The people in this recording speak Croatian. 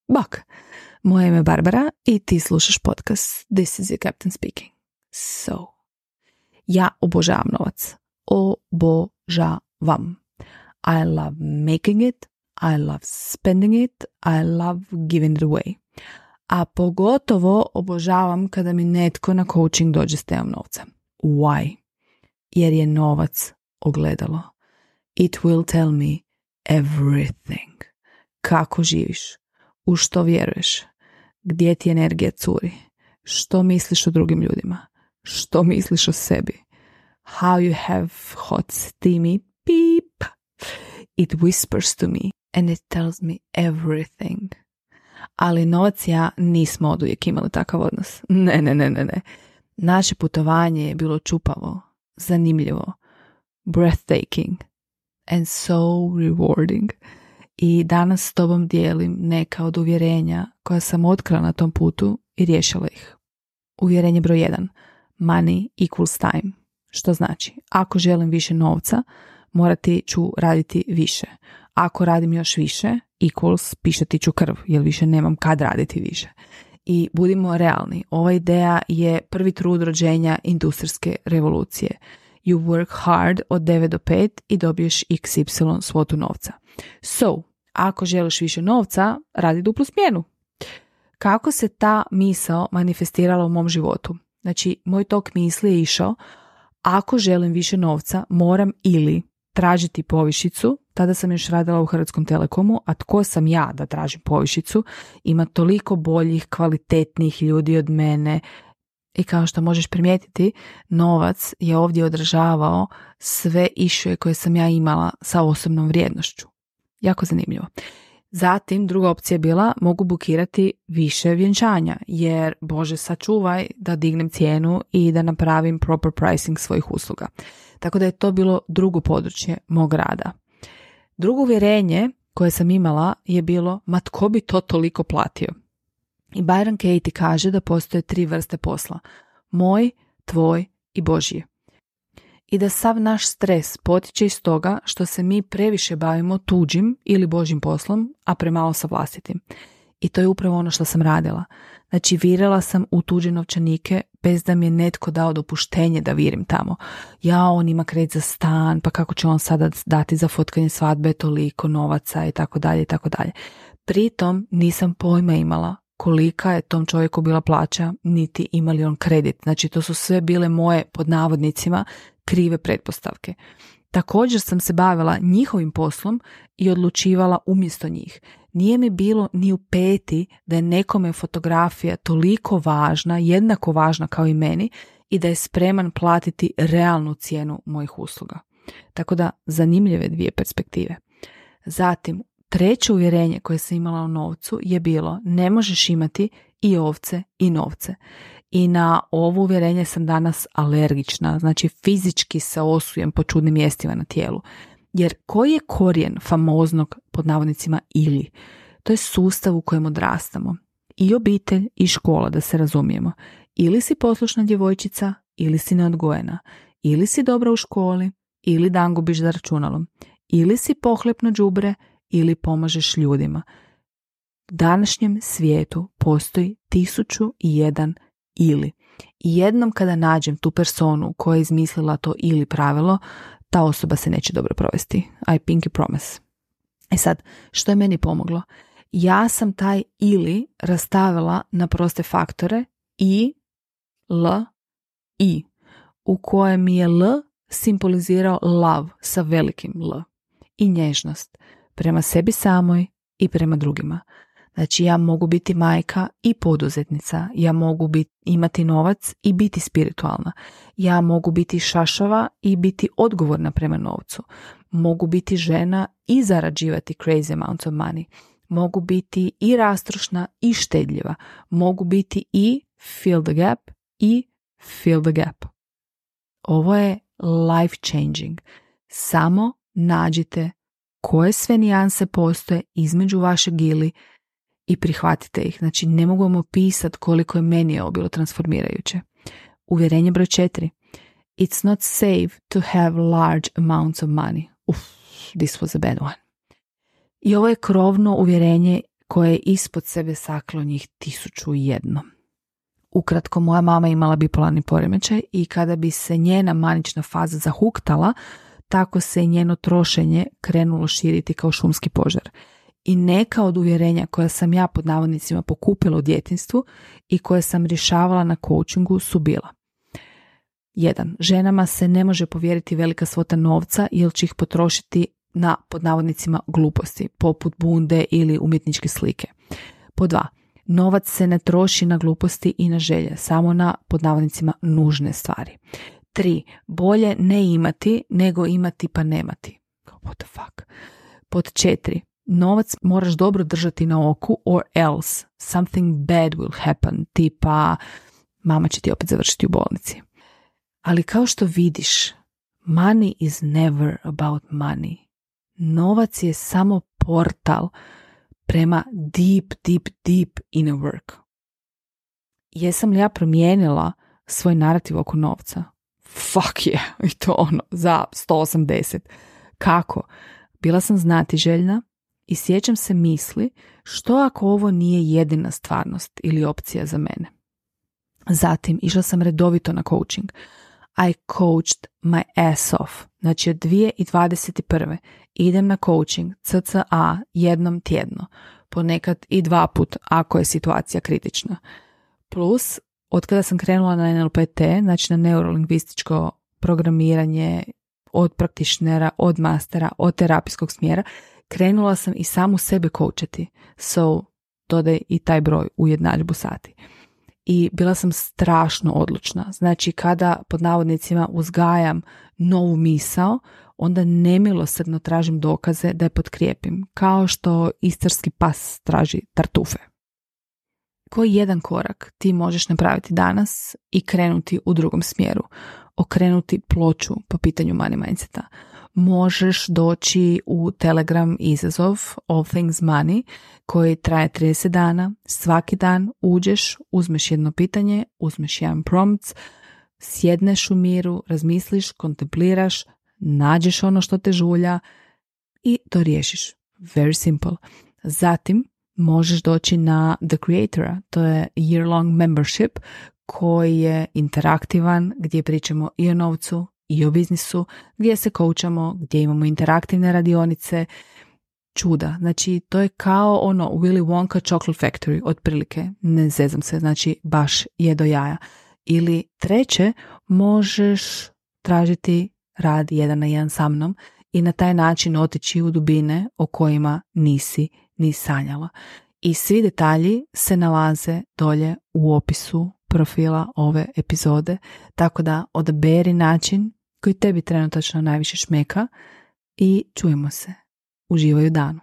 Bok! Moje ime je Barbara i ti slušaš podcast This is your captain speaking. So, ja obožavam novac. Obožavam. I love making it, I love spending it, I love giving it away. A pogotovo obožavam kada mi netko na coaching dođe s temom novca. Why? Jer je novac ogledalo. It will tell me everything. Kako živiš? U što vjeruješ? Gdje ti energija curi? Što misliš o drugim ljudima? Što misliš o sebi? How you have hot steamy beep. It whispers to me and it tells me everything. Ali novac i ja nismo oduvijek imali takav odnos. Ne. Naše putovanje je bilo čupavo, zanimljivo, breathtaking and so rewarding. I danas s tobom dijelim neka od uvjerenja koja sam otkrila na tom putu i riješila ih. Uvjerenje broj 1. Money equals time. Što znači, ako želim više novca, morati ću raditi više. Ako radim još više, equals pišati ću krv, jer više nemam kad raditi više. I budimo realni, ova ideja je prvi trud rođenja industrijske revolucije. You work hard od 9 do 5 i dobiješ XY svotu novca. So, ako želiš više novca, radi duplu smjenu. Kako se ta misao manifestirala u mom životu? Znači, moj tok misli je išao, ako želim više novca, moram ili tražiti povišicu, tada sam još radila u Hrvatskom Telekomu, a tko sam ja da tražim povišicu? Ima toliko boljih, kvalitetnih ljudi od mene. I kao što možeš primijetiti, novac je ovdje odražavao sve issue koje sam ja imala sa osobnom vrijednošću. Jako zanimljivo. Zatim, druga opcija je bila, mogu bukirati više vjenčanja, jer Bože sačuvaj da dignem cijenu i da napravim proper pricing svojih usluga. Tako da je to bilo drugo područje mog rada. Drugo uvjerenje koje sam imala je bilo, ma tko bi to toliko platio? I Byron Katie kaže da postoje 3 vrste posla. Moj, tvoj i Božji. I da sav naš stres potiče iz toga što se mi previše bavimo tuđim ili Božjim poslom, a premalo sa vlastitim. I to je upravo ono što sam radila. Znači, virala sam u tuđe novčanike bez da mi je netko dao dopuštenje da virim tamo. Ja, on ima kredit za stan, pa kako će on sada dati za fotkanje svadbe toliko novaca i tako dalje i tako dalje. Pritom nisam pojma imala kolika je tom čovjeku bila plaća, niti ima li on kredit. Znači, to su sve bile moje, pod navodnicima, krive pretpostavke. Također sam se bavila njihovim poslom i odlučivala umjesto njih. Nije mi bilo ni u peti da je nekome fotografija toliko važna, jednako važna kao i meni i da je spreman platiti realnu cijenu mojih usluga. Tako da, zanimljive 2 perspektive. Zatim, treće uvjerenje koje sam imala o novcu je bilo, ne možeš imati i ovce i novce. I na ovo uvjerenje sam danas alergična, znači fizički se osujem po čudnim mjestima na tijelu. Jer koji je korijen famoznog, pod navodnicima, ili? To je sustav u kojem odrastamo. I obitelj i škola, da se razumijemo. Ili si poslušna djevojčica, ili si neodgojena. Ili si dobra u školi, ili dan gubiš za računalom. Ili si pohlepno đubre, ili pomažeš ljudima. U današnjem svijetu postoji 1001 ili. I jednom kada nađem tu personu koja je izmislila to ili pravilo, ta osoba se neće dobro provesti. I pinky promise. E sad, što je meni pomoglo? Ja sam taj ili rastavila na proste faktore i, l, i, u kojem mi je l simbolizirao love sa velikim l i nježnost prema sebi samoj i prema drugima. Znači, ja mogu biti majka i poduzetnica, ja mogu imati novac i biti spiritualna, ja mogu biti šašava i biti odgovorna prema novcu, mogu biti žena i zarađivati crazy amounts of money, mogu biti i rastrošna i štedljiva, mogu biti i fill the gap i fill the gap. Ovo je life changing. Samo nađite koje sve nijanse postoje između vašeg ili i prihvatite ih. Znači, ne mogu vam opisati koliko je meni ovo bilo transformirajuće. Uvjerenje broj 4. It's not safe to have large amounts of money. This was a bad one. I ovo je krovno uvjerenje koje je ispod sebe saklo njih 1001. Ukratko, moja mama imala bipolarni poremećaj i kada bi se njena manična faza zahuktala, tako se i njeno trošenje krenulo širiti kao šumski požar. I neka od uvjerenja koja sam ja pod navodnicima pokupila u djetinjstvu i koje sam rješavala na coachingu su bila: 1. Ženama se ne može povjeriti velika svota novca jer će ih potrošiti na pod navodnicima gluposti, poput bunde ili umjetničke slike. Pod 2. Novac se ne troši na gluposti i na želje, samo na pod navodnicima nužne stvari. 3. Bolje ne imati nego imati pa nemati. What the fuck? Pod 4. Novac moraš dobro držati na oku or else something bad will happen, tipa mama će ti opet završiti u bolnici. Ali kao što vidiš, money is never about money. Novac je samo portal prema deep inner work. Jesam li ja promijenila svoj narativ oko novca? Fuck yeah, i to za 180. Kako? Bila sam znatiželjna i sjećam se misli, što ako ovo nije jedina stvarnost ili opcija za mene. Zatim išla sam redovito na coaching. I coached my ass off. Znači od 2021. idem na coaching CCA jednom tjedno, ponekad i 2 puta ako je situacija kritična. Plus, od kada sam krenula na NLPT, znači na neurolingvističko programiranje, od praktičnera, od mastera, od terapijskog smjera, krenula sam i samu sebe coachati. So, dodaj i taj broj u jednadžbu sati. I bila sam strašno odlučna. Znači, kada pod navodnicima uzgajam novu misao, onda nemilosrdno tražim dokaze da je potkrijepim, kao što istarski pas traži tartufe. Koji jedan korak ti možeš napraviti danas i krenuti u drugom smjeru? Okrenuti ploču po pitanju money mindseta. Možeš doći u Telegram izazov All Things Money koji traje 30 dana. Svaki dan uđeš, uzmeš jedno pitanje, uzmeš jedan prompt, sjedneš u miru, razmisliš, kontempliraš, nađeš ono što te žulja i to riješiš. Very simple. Zatim možeš doći na The Creatora, to je year-long membership koji je interaktivan, gdje pričamo i o novcu i o biznisu, gdje se coachamo, gdje imamo interaktivne radionice, čuda. Znači, to je kao Willy Wonka Chocolate Factory, otprilike, ne zezam se, znači baš je do jaja. Ili treće, možeš tražiti rad 1 na 1 sa mnom i na taj način otići u dubine o kojima nisi ni sanjala. I svi detalji se nalaze dolje u opisu profila ove epizode, tako da odaberi način koji tebi trenutačno najviše šmeka i čujemo se. Uživaj u danu.